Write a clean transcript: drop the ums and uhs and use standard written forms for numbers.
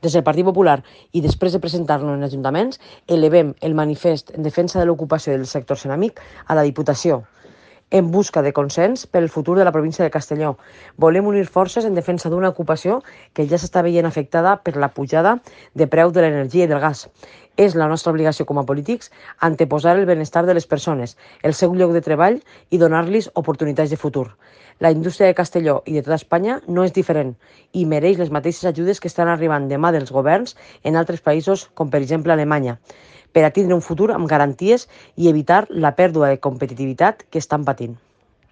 Des del Partit Popular i després de presentar-lo en ajuntaments, elevem el manifest en defensa de l'ocupació del sector ceràmic a la Diputació, en busca de consens per al futur de la província de Castelló. Volem unir forces en defensa d'una ocupació que ja s'està veient afectada per la pujada de preu de l'energia i del gas. És la nostra obligació com a polítics anteposar el benestar de les persones, el seu lloc de treball i donar-los oportunitats de futur. La indústria de Castelló i de tota Espanya no és diferent i mereix les mateixes ajudes que estan arribant de mà dels governs en altres països, com per exemple Alemanya, per a tindre un futur amb garanties i evitar la pèrdua de competitivitat que estan patint.